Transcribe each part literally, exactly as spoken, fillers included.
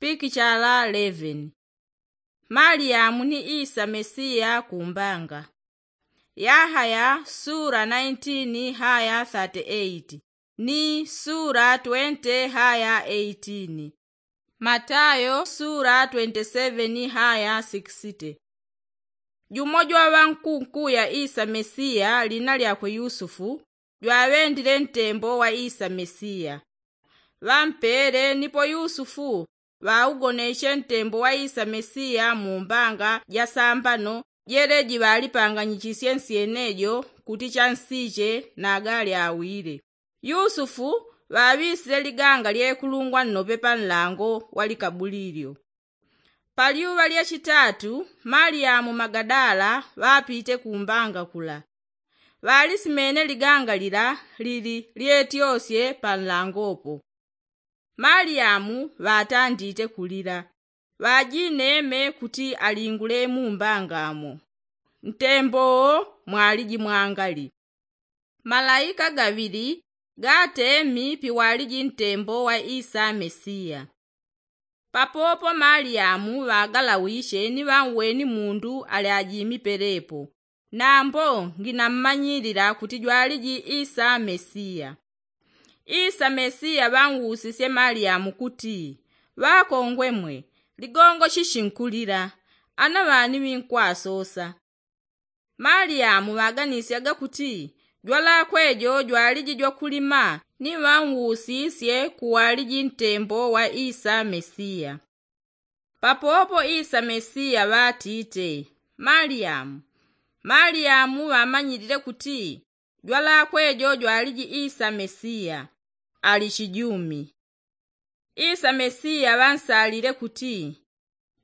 Pikichala eleven. Maliyamu ni isa mesiya kumbanga. Yahaya sura naintini haya thate eiti, ni sura twente haya eitini. Matayo sura twente seveni haya sikisite. Jumo jwa ŵankunkuya isa mesiya lina lyakwe yusufu, jwaŵendile ntembo wa isa mesiya. Ŵampele nipo yusufu ŵaugoneche ntembo wa isa mesiya mu mbanga ja sambano jeleji ŵalipanganyichisye nsyenejo kuti chansiche nagali awile. Yusufu ŵaŵisile liganga lyekulungwa nnope pa nlango wa likabulilyo. Pa lyuŵa lya chitatu maliyamu magadala ŵapite kumbanga kula. Ŵalisimene liganga lila lili lyetyosye pa nlangopo. Maliyamu ŵatandite kulila, ŵajineme kuti alingule mu mbangamo. Ntembo wo mwaliji mwangali. Malaika gaŵili gatemi piwaliji ntembo wa isa mesiya. Papopo maliyamu ŵagalawiche ni ŵanweni mundu ali ajimi pelepo. Nambo nginammanyilila kuti jwaliji isa mesiya. Isa mesiya ŵanwusisye maliyamu kuti, ŵakongwe mwe, ligongo chichinkulila, ana ŵani ŵinkwasosa. Maliyamu ŵaganisyaga kuti jwalakwe jo jwaliji jwakulima ni ŵanwusisye kuwaliji ntembo wa isa mesiya. Papopo isa mesiya ŵatite, maliyamu. Maliyamu ŵamanyilile kuti jwalakwe jo jwaliji isa mesiya, ali chijumi. Isa mesiya ŵansalile kuti,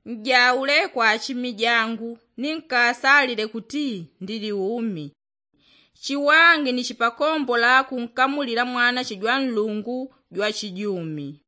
njaule kwa achimi jangu ni nkasalile kuti ndili umi. Chiwangi ni chipakombola kunkamulila mwanache jwa nlungu jwa chijumi.